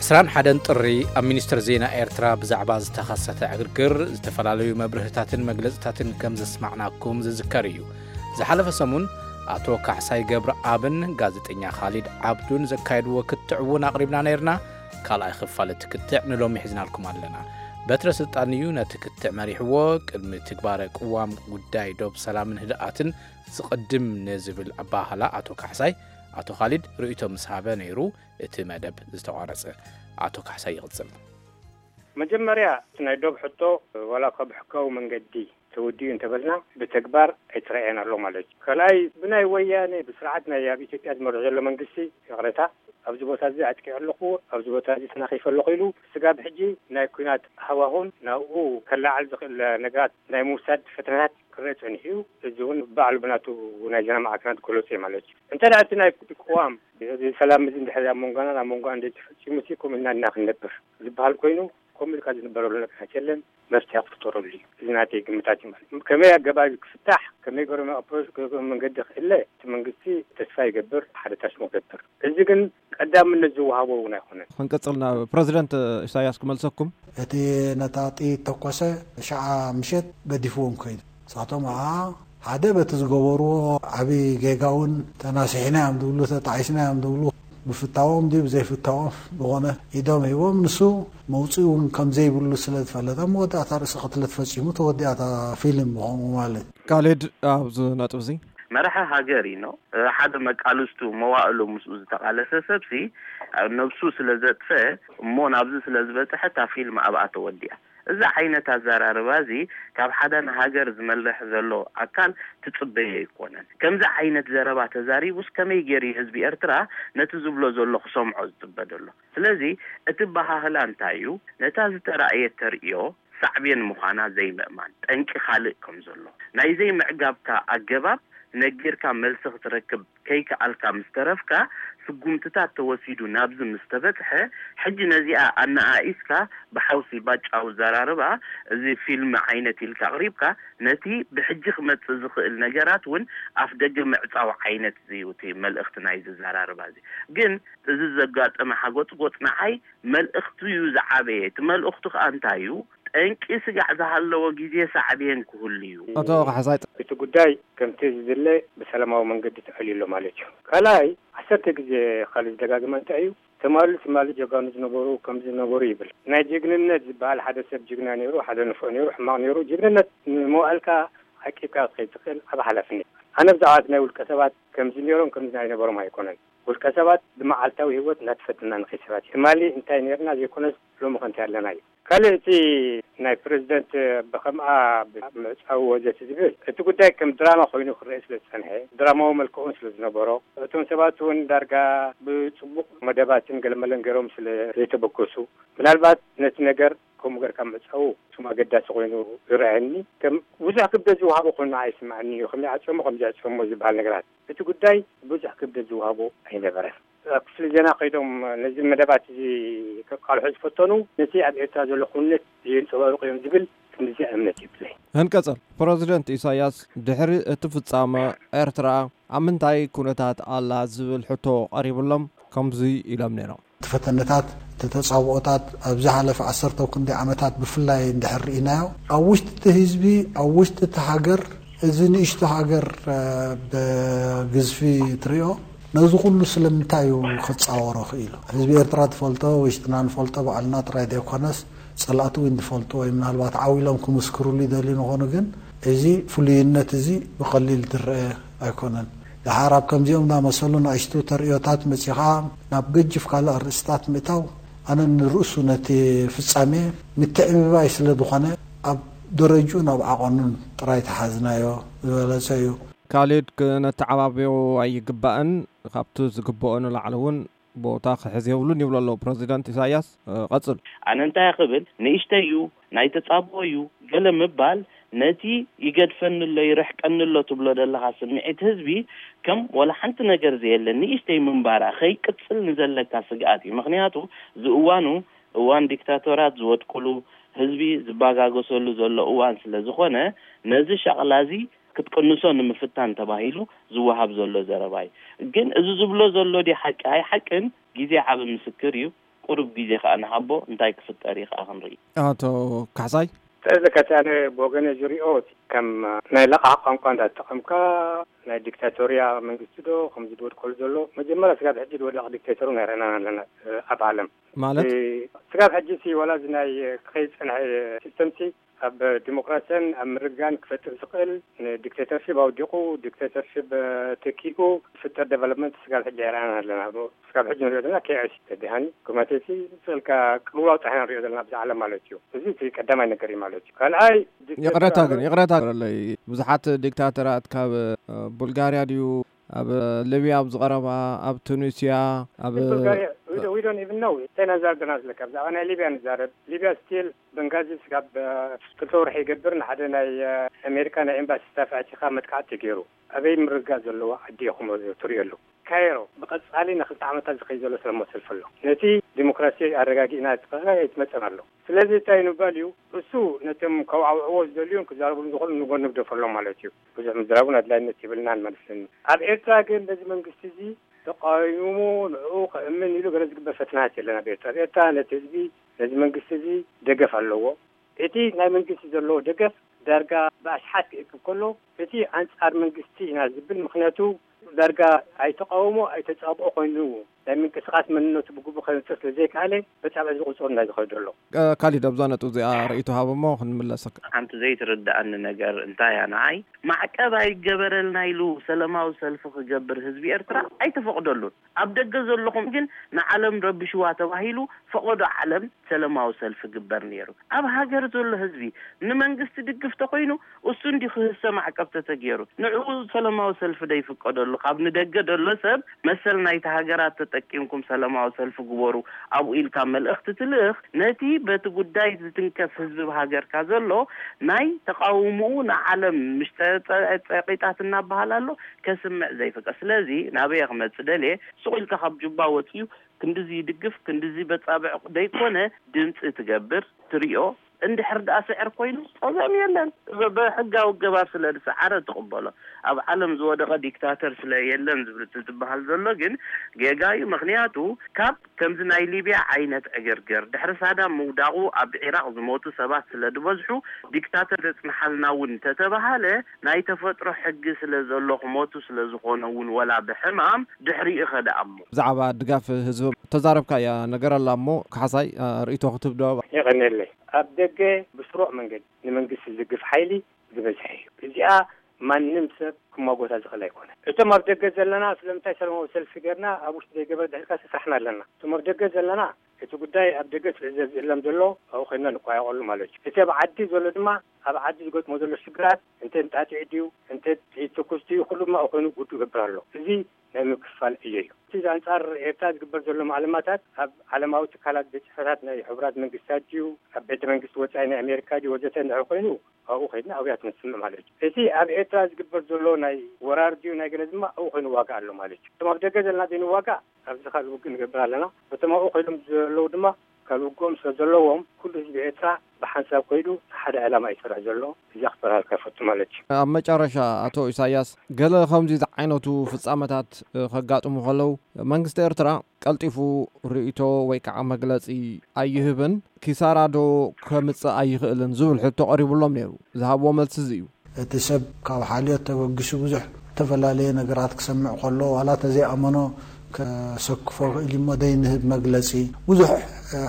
ዕስራን ሓደን ጥሪ ኣብ ሚኒስትሪ ዜና ኤርትራ ብዛዕባ ዝተኸሰተ ዕግርግር ዝተፈላለዩ መብርህታትን መግለጽታትን ከም ዘስማዕናኩም ዝዝከር እዩ። ዝሓለፈ ሰሙን ኣቶ ካሕሳይ ገብረኣብን ጋዜጠኛ ካሊድ ዓብዱን ዘካየድዎ ክትዕ እውን ኣቕሪብና ነይርና። ካልኣይ ክፋል እቲ ክትዕ ንሎሚ ሒዝናልኩም ኣለና። በትረ ስልጣን እዩ ነቲ ክትዕ መሪሕዎ። ቅድሚ ትግባረ ቅዋም ጉዳይ ዶብ ሰላምን ህድኣትን ዝቕድም ንዝብል ኣባህላ ኣቶ ካሕሳይ፣ ኣቶ ካሊድ ርእይቶ ምስ ሃበ ነይሩ እቲ መደብ ዝተቋረጸ። ኣቶ ካሕሳይ ይቕጽል። መጀመርያ እቲ ናይ ዶብ ሕቶ ዋላ እኳ ብሕጋዊ መንገዲ ተወዲኡ እንተበልና ብተግባር ኣይተረኣየን ኣሎ ማለት እዩ። ካልኣይ ብናይ ወያነ ብስርዓት ናይ ኣብ ኢትዮጵያ ዝመርሕ ዘሎ መንግስቲ ይቕሬታ ኣብዚ ቦታ እዚ ኣጥቂዑ ኣለኹ፣ ኣብዚ ቦታ እዚ ተናኺፈ ኣለኹ ኢሉ ስጋብ ሕጂ ናይ ኲናት ሃዋሁን ናብኡ ከለዓል ዝኽእል ነገራት ናይ ምውሳድ ፈተናታት ክረአ ጸኒሑ እዩ። እዚ እውን ባዕሉ ብናቱ ናይ ዜና ማዕከናት ገለጹ እዩ ማለት እዩ። እንተ ደኣ እቲ ናይ ቅዋም እዚ ሰላም እዚ እንድሕር ኣብ መንጎና ኣብ መንጎ እንደ ተፈጺሙ ሲ ከምኡ ኢልና ኢና ክንነብር ዝበሃል ኮይኑ ከምኡ ኢልካ ዝንበረሉ ነገራት የለን። መፍትሒ ክፍጠረሉ እዩ። እዚ ናተይ ግምታት እዩ ማለት እዩ። ከመይ ኣገባብ ክፍታሕ ከመይ ገሮም ኣፕሮች መንገዲ ክእለ እቲ መንግስቲ ተስፋ ይገብር፣ ሓደ ታስሞ ገብር። እዚ ግን ቀዳምነት ዝወሃቦ እውን ኣይኮነን። ክንቀጽልና ፕረዚደንት ኢሳያስ ክመልሰኩም። እቲ ነታ ጥይት ተኮሰ ሸዓ ምሸት ገዲፍዎም ከይዱ። ንሳቶም ኣ ሓደ በቲ ዝገበርዎ ዓብዪ ጌጋ እውን ተናሲሕና እዮም ዝብሉ ተጣዒስና እዮም ዝብሉ ብፍታዎም ድዩ ብዘይፍታዎም ዝኾነ ኢዶም ሂቦም ንሱ መውፅኢ እውን ከም ዘይብሉ ስለ ዝፈለጠ መወዳእታ ርእሲ ቅትለት ፈፂሙ ተወዲኣታ ፊልም ምኾኑ ማለት እዩ። ካሌድ ኣብዚ ነጥብ እዚ መራሒ ሃገር እዩ ነው። ሓደ መቃልስቱ መዋእሉ ምስኡ ዝተቃለሰ ሰብሲ ነብሱ ስለ ዘጥፈ እሞ ናብዚ ስለ ዝበፅሐ እታ ፊልም ኣብኣ ተወዲኣ። እዚ ዓይነት ኣዘራርባ እዚ ካብ ሓደ ንሃገር ዝመርሕ ዘሎ ኣካል ትፅበዮ ኣይኮነን። ከምዚ ዓይነት ዘረባ ተዛሪቡስ ከመይ ገይሩ እዩ ህዝቢ ኤርትራ ነቲ ዝብሎ ዘሎ ክሰምዖ ዝፅበ ዘሎ? ስለዚ እቲ ኣበሃህላ እንታይ እዩ? ነታ ዝተራእየት ተርእዮ ሳዕቤን ምዃና ዘይምእማን ጠንቂ ካልእ ከም ዘሎ ናይ ዘይምዕጋብካ ኣገባብ ነጊርካ መልሲ ክትረክብ ከይከኣልካ ምስ ተረፍካ፣ ስጉምትታት ተወሲዱ ናብዚ ምስ ተበጽሐ፣ ሕጂ ነዚኣ ኣነኣኢስካ ብሓውሲ ባጫዊ ዘራርባ፣ እዚ ፊልም ዓይነት ኢልካ ኣቕሪብካ፣ ነቲ ብሕጂ ክመጽእ ዝኽእል ነገራት እውን ኣፍደገ ምዕጻው ዓይነት እዩ እቲ መልእኽቲ ናይዚ ዘራርባ እዚ። ግን እዚ ዘጋጠመ ሓጎጽጎጽ ንዓይ መልእኽቱ እዩ ዝዓበየ። እቲ መልእኽቱ ከኣ እንታይ እዩ? ጠንቂ ስጋዕ ዝሃለዎ ግዜ ሳዕቤን ክህሉ እዩ። ኣቶ ካሕሳይ። እቲ ጉዳይ ከምቲ ዝድለ ብሰላማዊ መንገዲ ተዕልዩ ኣሎ ማለት እዩ። ካልኣይ ዓሰርተ ግዜ ካልእ ዝደጋግመ እንታይ እዩ? ትማሊ ትማሊ ጀጋኑ ዝነበሩ ከምዚ ዝነበሩ ይብል። ናይ ጅግንነት ዝበሃል ሓደ ሰብ ጅግና ነይሩ፣ ሓደ ንፉዕ ነይሩ፣ ሕማቕ ነይሩ። ጅግንነት ንመዋእልካ ዓቂብካ ክትከይድ ትኽእል ዓቢ ሓላፍነት። ኣነ ብዛዕባ እቲ ናይ ውልቀ ሰባት ከምዚ ነይሮም ከምዚ ኣይነበሮም ኣይኮነን። ውልቀ ሰባት ብመዓልታዊ ህይወት እናተፈተና ንኸይድ ሰባት እዩ። ትማሊ እንታይ ነይርና ዘይኮነስ ሎሚ ከ እንታይ ኣለና እዩ። ካልእ እቲ ናይ ፕረዚደንት ብኸምኣ ምዕጻው ወዘተ ዝብል እቲ ጉዳይ ከም ድራማ ኮይኑ ክረአ ስለ ዝጸንሐ ድራማዊ መልክዑን ስለ ዝነበሮ እቶም ሰባት እውን ዳርጋ ብጽቡቕ መደባትን ገለመለን ገይሮም ስለ ዘይተበገሱ ምናልባት ነቲ ነገር ከምኡ ገርካ ምዕጻው እሱም ኣገዳሲ ኮይኑ ይረኣየኒ። ከም ብዙሕ ክብደት ዝወሃቦ ኮይኑ ኣይስምዓኒ እዩ። ከመይ ዓጽዮሞ ከምዚ ኣጽዮሞ ዝበሃል ነገራት እቲ ጉዳይ ብዙሕ ክብደት ዝወሃቦ ኣይነበረን። ኣብ ክፍሊ ዜና ከይዶም ነዚ መደባት እዚ ከቃልሑ ዝፈተኑ ነቲ ኣብ ኤርትራ ዘሎ ኩነት የንጸባርቑ እዮም ዝብል ክንድዚኣ እምነት የብለይ። ህንቀጸል ፕረዚደንት ኢሳያስ ድሕሪ እቲ ፍጻመ ኤርትራ ኣብ ምንታይ ኩነታት ኣላ ዝብል ሕቶ ቀሪብሎም ከምዚ ኢሎም ነይሮም። እቲ ፈተነታት እቲ ተጻብኦታት ኣብ ዝሓለፈ ዓሰርተ ክንደይ ዓመታት ብፍላይ እንድሕር ርኢናዮ ኣብ ውሽጢ እቲ ህዝቢ ኣብ ውሽጢ እቲ ሃገር እዚ ንእሽቶ ሃገር ብግዝፊ ትሪኦ ነዚ ኩሉ ስለምንታይ እዩ ክጻወሮ ክኢሉ? ህዝቢ ኤርትራ ትፈልጦ ውሽጥና ንፈልጦ ባዕልና ጥራይ ዘይኮነስ ጸላእቲ እውን ዝፈልጡ ወይ ምናልባት ዓው ኢሎም ክምስክሩሉ ይደልዩ ንኾኑ ግን እዚ ፍሉይነት እዚ ብቐሊል ዝረአ ኣይኮነን። ደሓር ኣብ ከምዚኦም ዝኣመሰሉ ንኣሽቱ ተርእዮታት መጺኻ ናብ ገጅፍ ካልእ ኣርእስታት ምእታው ኣነ ንርእሱ ነቲ ፍጻሜ ምትዕብባይ ስለ ዝኾነ ኣብ ደረጅኡን ኣብ ዓቐኑን ጥራይ ተሓዝናዮ ዝበለጸ እዩ። ካሊድ ክነተዓባብዮ ኣይግባእን፣ ካብቲ ዝግብኦ ንላዕሊ እውን ቦታ ክሕዝ የብሉን ይብሉ ኣለዉ ፕረዚደንት ኢሳያስ። ቀጽሉ። ኣነ እንታይ ክብል ንእሽተይ እዩ ናይ ተጻብኦ እዩ ገለ ምባል ነቲ ይገድፈኒ ኣሎ ይርሕቀኒ ኣሎ ትብሎ ዘለኻ ስምዒት ህዝቢ ከም ወላ ሓንቲ ነገር ዘየለ ንእሽተይ ምንባራ ከይቅጽል ንዘለካ ስግኣት እዩ። ምኽንያቱ እዚ እዋኑ እዋን ዲክታቶራት ዝወድቁሉ ህዝቢ ዝባጋገሰሉ ዘሎ እዋን ስለ ዝኾነ ነዚ ሻቕላ እዚ ክትቅንሶ ንምፍታን ተባሂሉ ዝወሃብ ዘሎ ዘረባ እዩ። ግን እዚ ዝብሎ ዘሎ ድዩ ሓቂ ኣይሓቅን ግዜ ዓቢ ምስክር እዩ። ቁሩብ ግዜ ከኣ ንሃቦ፣ እንታይ ክፍጠር እዩ ከኣ ክንርኢ። ኣቶ ካሕሳይ? ስለዚ ከቲ ኣነ ብወገነ ዝሪኦ፣ ከም ናይ ለቓሕ ቋንቋ እንዳተጠቐምካ ናይ ዲክታቶርያ መንግስቲ ዶ ከምዚ ዝወድቀሉ ዘሎ፣ መጀመርያ ስጋብ ሕጂ ዝወደቐ ዲክታቶር ኣይረኣናን ኣለና ኣብ ዓለም። ማለት ስጋብ ሕጂ ሲ ዋላ እዚ ናይ ክኸይድ ዝጸንሐ ሲስተም ሲ ኣብ ዲሞክራሲን ኣብ ምርግጋእን ክፈጥር ዝኽእል፣ ንዲክቴተርሺፕ ኣውዲቑ ዲክቴተርሺፕ ተኪኡ ዝፍጠር ዴቨሎፕመንት ስጋብ ሕጂ ኣይረኣናን ኣለና። ስጋብ ሕጂ ንሪኦ ዘለና ኬኦስ ተዲሃኒ ኩማቴሲ ስልካ ቅልውላው ጥራሕ ንሪኦ ዘለና ኣብዚ ዓለም ማለት እዩ። እዚ እቲ ቀዳማይ ነገር እዩ ማለት እዩ። ካልኣይ ይቕረታ ግን ይቕረታ ኣለይ ብዙሓት ዲክታተራት ካብ ቡልጋርያ ድዩ ኣብ ሊብያ ኣብ ዝቐረባ ኣብ ቱኒስያ ኣብ ቡልጋርያ ዊዶን ኢቭን ነው ቴና ዛርገና ዝለካ ብዛዕባ ናይ ሊብያ ንዛረብ። ሊብያ ስቲል በንጋዚ ስጋብ ክልተ ወርሒ ይገብር ንሓደ ናይ ኣሜሪካ ናይ ኤምባሲ ስታፍ ኣቲኻ መጥቃዕቲ ተገይሩ። ኣበይ ምርግጋእ ዘለዎ ዓዲ ኢኹም ትሪእሉ? ካይሮ ብቐጻሊ ንክልተ ዓመታት ዝኸይ ዘሎ ሰላማዊ ሰልፊ ኣሎ። ነቲ ዲሞክራሲ ኣረጋጊእና ዝትኸኸ ኣይትመጸን ኣሎ። ስለዚ እንታይ ንባል እዩ እሱ ነቶም ከውዓውዕዎ ዝደልዩን ክዛረብሉ ዝኽእሉ ንጎኒ ግደፈሎም ማለት እዩ። ብዙሕ ምዝራቡን ኣድላይነት ይብልናን ማለት እዩ። ኣብ ኤርትራ ግን ነዚ መንግስቲ እዚ ተቃዊሙ ንዕኡ ከእምን ኢሉ ገለ ዝግበር ፈተናት የለን። ኣብ ኤርትራ ኣብ ኤርትራ ነቲ ህዝቢ ነዚ መንግስቲ እዚ ደገፍ ኣለዎ። እቲ ናይ መንግስቲ ዘለዎ ደገፍ ዳርጋ ብኣሽሓት ክእክብ ከሎ እቲ ኣንጻር መንግስቲ ኢና ዝብል ምኽንያቱ ዳርጋ ኣይተቃወሞ ኣይተጻብኦ ኮይኑ ናይ ምንቅስቃስ መንነቱ ብግቡእ ከነጽር ስለ ዘይከኣለ በጻብዕ ዝቁጸሩ ናይ ዝኸዱ ኣሎ። ካሊድ ኣብዛ ነጥብ እዚኣ ርእይቶ ሃብ እሞ ክንምለሰካ። ሓንቲ ዘይትርድኣኒ ነገር እንታይ እያ ንዓይ ማዕቀብ ኣይገበረልና ኢሉ ሰለማዊ ሰልፊ ክገብር ህዝቢ ኤርትራ ኣይተፈቅደሉን። ኣብ ደገ ዘለኹም ግን ንዓለም ረብሽዋ ተባሂሉ ፈቐዶ ዓለም ሰለማዊ ሰልፊ ግበር ነይሩ። ኣብ ሃገር ዘሎ ህዝቢ ንመንግስቲ ድግፍ ተኾይኑ እሱ እንዲ ክህሰ ማዕቀብ ተተገይሩ ንዕኡ ሰለማዊ ሰልፊ ደይፍቀደሉ ካብ ንደገ ደሎ ሰብ መሰል ናይቲ ሃገራት ተጠቂምኩም ሰለማዊ ሰልፊ ግበሩ ኣብኡ ኢልካ መልእኽቲ ትልእኽ ነቲ በቲ ጉዳይ ዝትንከፍ ህዝቢ ሃገርካ ዘሎ ናይ ተቃውምኡ ንዓለም ምሽ ጸቂጣት እናበሃል ኣሎ ከስምዕ ዘይፍቀድ ስለዚ ናበየ ክመጽእ ደልየ ሱቕ ኢልካ ካብ ጁባ ወጺኡ ክንድዚ ይድግፍ ክንድዚ በጻብዕ ደይኮነ ድምጺ ትገብር ትሪኦ እንድሕር ደኣ ስዕር ኮይኑ ጸገም የለን ብሕጋዊ ኣገባብ ስለ ዝሰዓረ ትቕበሎ ኣብ ዓለም ዝወደቐ ዲክታተር ስለ የለን ዝብል እቲ ዝበሃል ዘሎ ግን ጌጋ እዩ ምኽንያቱ ካብ ከምዚ ናይ ሊብያ ዓይነት ዕግርግር ድሕሪ ሳዳም ምውዳቑ ኣብ ዒራቕ ዝሞቱ ሰባት ስለ ዝበዝሑ ዲክታተር የጽንሓልና እውን እንተተባሃለ ናይ ተፈጥሮ ሕጊ ስለ ዘሎ ክሞቱ ስለ ዝኾነ እውን ወላ ብሕማም ድሕሪኡ ከደኣ እሞ። ብዛዕባ ድጋፍ ህዝቢ ተዛረብካያ ነገር ኣላ እሞ ካሕሳይ ርእይቶ ክትህብ ዶ? የቐንየለይ። ኣብ ደገ ብስሩዕ መንገዲ ንመንግስቲ ዝድግፍ ሓይሊ ዝበዝሐ እዩ። እዚኣ ማንም ሰብ ክማጎታ ዝኽእል ኣይኮነን። እቶም ኣብ ደገ ዘለና ስለምንታይ ሰላማዊ ሰልፊ ገርና ኣብ ውሽጢ ዘይገበረ ድሕሪካ ሰስራሕና ኣለና። እቶም ኣብ ደገ ዘለና እቲ ጉዳይ ኣብ ደገ ስለ ዘዝእለም ዘሎ ኣብኡ ኮይንና ንቋየቐሉ ማለት እዩ። እቲ ኣብ ዓዲ ዘሎ ድማ ኣብ ዓዲ ዝገጥሞ ዘሎ ሽግራት እንተ ንጣጢዕ ድዩ እንተ ጥይት ትኩስ ድዩ ኩሉ ድማ ኣብኡ ኮይኑ ጉዱ ይገብር ኣሎ። እዚ ናይ ምክፍፋል ዕዮ እዩ። እቲ ኣንጻር ኤርትራ ዝግበር ዘሎ ማዕለማታት ኣብ ዓለማዊ ትካላት ቤት ጽሕፈታት ናይ ሕቡራት መንግስታት ድዩ ኣብ ቤተ መንግስቲ ወጻኢ ናይ ኣሜሪካ ድዩ ወዘተ እንድሕር ኮይኑ ኣብኡ ከይድና ኣብያት ንስምዕ ማለት እዩ። እቲ ኣብ ኤርትራ ዝግበር ዘሎ ናይ ወራር ድዩ ናይ ገለ ድማ ኣብኡ ኮይኑ ዋጋ ኣሎ ማለት እዩ። እቶም ኣብ ደገ ዘለና ዘይንዋጋእ ኣብዚ ካልእ ውግእ ንገብር ኣለና። እቶም ኣብኡ ኮይኖም ዘለዉ ድማ ካልእ ውግኦም ስለ ዘለዎም ኩሉ ህዝቢ ኤርትራ ብሓንሳብ ከይዱ ንሓደ ዕላማ እዩ ዝሰርሕ ዘሎ። እዚኣ ክበርሃልካ ይፈቱ ማለት እዩ። ኣብ መጨረሻ ኣቶ ኢሳያስ ገለ ከምዚ ዝዓይነቱ ፍጻመታት ከጋጥሙ ከለዉ መንግስቲ ኤርትራ ቀልጢፉ ርእይቶ ወይ ከዓ መግለጺ ኣይህብን ኪሳራ ዶ ከምጽእ ኣይኽእልን ዝብል ሕቶ ቀሪቡሎም ነይሩ። ዝሃብዎ መልሲ እዚ እዩ። እቲ ሰብ ካብ ሓልዮት ተበጊሱ ብዙሕ ዝተፈላለየ ነገራት ክሰምዕ ከሎ ዋላ ተዘይኣመኖ ከሰክፎ ክእል እሞ ደይንህብ መግለጺ ብዙሕ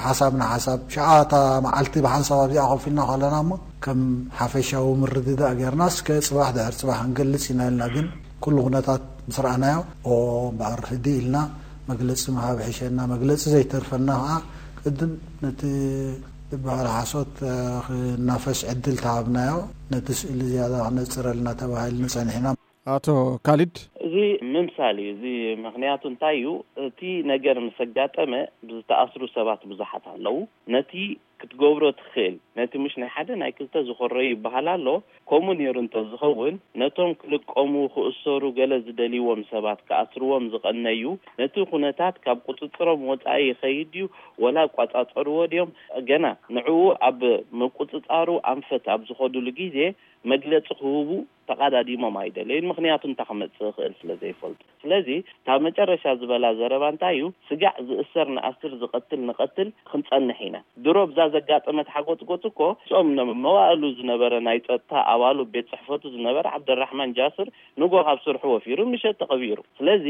ሓሳብ ንሓሳብ ሽዓ እታ መዓልቲ ብሓንሳብ ኣብዚኣ ኮፍ ኢልና ከለና እሞ ከም ሓፈሻዊ ምርድዳእ ጌርና እስከ ጽባሕ ድሕር ጽባሕ ክንገልጽ ኢና ኢልና ግን ኩሉ ኩነታት ምስ ረኣናዮ ኦ እምበኣር ህድእ ኢልና መግለጺ ምሃብ ይሕሸና መግለጺ ዘይተርፈና ከዓ ቅድም ነቲ ዝበሃል ሓሶት ክናፈስ ዕድል ተሃብናዮ ነቲ ስእሊ ዝያዳ ክነጽረልና ተባሂልና ጸኒሕና። ኣቶ ካሊድ። እዚ ምምሳል እዩ። እዚ ምኽንያቱ እንታይ እዩ? እቲ ነገር ምስ ኣጋጠመ ብዝተኣስሩ ሰባት ብዙሓት ኣለዉ። ነቲ ክትገብሮ ትኽእል። ነቲ ምሽ ናይ ሓደ ናይ ክልተ ዝኾረዩ ይበሃል ኣሎ። ከምኡ ነይሩ እንተዝኸውን፣ ነቶም ክልቀሙ፣ ክእሰሩ፣ ገለ ዝደልይዎም ሰባት ክኣስርዎም ዝቐነዩ፣ ነቲ ኩነታት ካብ ቁጽጽሮም ወጻኢ ይኸይድ ድዩ፣ ወላ ኣቋጻጸርዎ ድዮም፣ ገና ንዕኡ ኣብ ምቁጽጻሩ ኣንፈት ኣብ ዝኸዱሉ ግዜ መግለጺ ክህቡ ተቓዳዲሞም ኣይደለዩን። ምኽንያቱ እንታይ ክመጽእ ይኽእል ስለ ዘይፈልጡ። ስለዚ፣ እታ መጨረሻ ዝበላ ዘረባ እንታይ እዩ? ስጋዕ ዝእሰር ንኣስር፣ ዝቐትል ንቐትል ክንጸንሕ ኢና። ድሮ ብዛ ዘጋጠመት ሓጎጽጎጽ እኮ፣ እቶም ነ-፣ መዋእሉ ዝነበረ ናይ ጸጥታ ኣባሉ፣ ቤት ጽሕፈቱ ዝነበረ ዓብደራሕማን ጃስር ንጎ ካብ ስርሑ ወፊሩ፣ ምሸት ተቐቢሩ። ስለዚ፣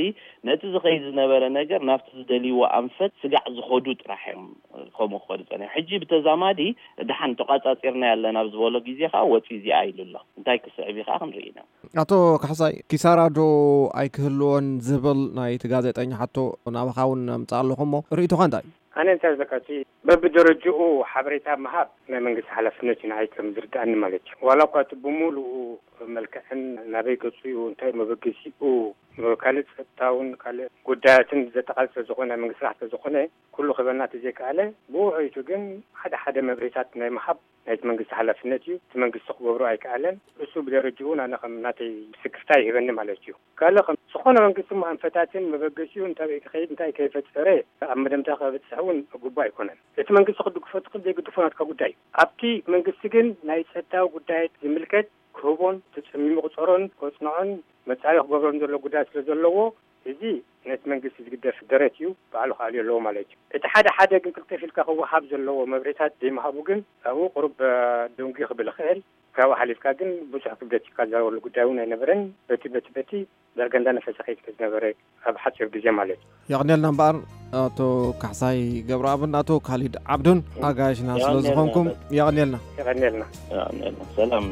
ነቲ ዝኸይድ ዝነበረ ነገር ናብቲ ዝደልይዎ ኣንፈት ስጋዕ ዝኸዱ ጥራሕ እዮም ከምኡ ክኸዱ ጸኒሖም። ሕጂ ብተዛማዲ፣ ደሓን ተቋጻጺርና ያለን ኣብ ዝበሎ ግዜ ከኣ ወጺ እዚኣ ኢሉ ኣሎ። እንታይ ክስዕብ እዩ ከኣ ክንርኢ ኢና። ኣቶ ካሕሳይ፣ ኪሳራ ዶ ኣይክህልዎን ዝብል ናይቲ ጋዜጠኛ ሕቶ ናባኻ እውን ኣምጽእ ኣለኹ እሞ፣ ርእይቶኻ እንታይ እዩ? ኣነ እንታይ ዝብለካ፣ እቲ በብደረጅኡ ሓበሬታ ምሃብ ናይ መንግስቲ ሓላፍነት እዩ፣ ንዓይ ከም ዝርድኣኒ ማለት እዩ። ዋላ እኳ እቲ ብምሉኡ መልክዕን ናበይ ገጹ እዩ፣ እንታይ መበገሲኡ፣ ካልእ ጸጥታውን ካልእ ጉዳያትን ዘጠቓልል ስለ ዝኾነ፣ ናይ መንግስቲ ስራሕ ስለ ዝኾነ፣ ኩሉ ክበና እቲ ዘይከኣለ፣ ብውዕይቱ ግን ሓደ ሓደ መብርሂታት ናይ ምሃብ ናይቲ መንግስቲ ሓላፍነት እዩ። እቲ መንግስቲ ክገብሮ ኣይከኣለን። እሱ ብደረጅኡ ናነ ከም ናተይ ስክፍታ ይህበኒ ማለት እዩ። ካልእ ከም ዝኾነ መንግስቲ እሞ ኣንፈታትን መበገሲኡ እንታይ ክኸይድ እንታይ ከይፈጠረ ኣብ መደምታ ከብጽሕ እውን ግቡእ ኣይኮነን። እቲ መንግስቲ ክድግፎ ትኽእል ዘይግድፎ ናትካ ጉዳይ እዩ። ኣብቲ መንግስቲ ግን ናይ ጸጥታዊ ጉዳያት ዝምልከት ክህቦን ተጸሚሙ ክጸሮን ከጽንዖን መጻኢ ክገብሮን ዘሎ ጉዳይ ስለ ዘለዎ፣ እዚ ነቲ መንግስቲ ዝግደፍ ደረት እዩ፣ ባዕሉ ክኣልዮ ኣለዎ ማለት እዩ። እቲ ሓደ ሓደ ግን ክልተፍ ኢልካ ክወሃብ ዘለዎ መብርሂታት ዘይምሃቡ ግን ኣብኡ ቁሩብ፣ እ፣ ደንጉዩ ክብል ይኽእል። ካብኡ ሓሊፍካ ግን ብዙሕ ክብደት እዩ ዝዛረበሉ ጉዳይ እውን ኣይነበረን። በቲ፣ በቲ፣ በቲ ዳርጋ እንዳነፈሰ ከይድ ዝነበረ ኣብ ሓፂር ግዜ ማለት እዩ። የቕንየልና እምበኣር ኣቶ ካሕሳይ ገብረኣብን ኣቶ ካሊድ ዓብዱን ኣጋይሽና ስለ የቐንየልና ዝኾንኩም በል። የቕንየልና። የቐንየልና። የቐንየልና። ሰላም።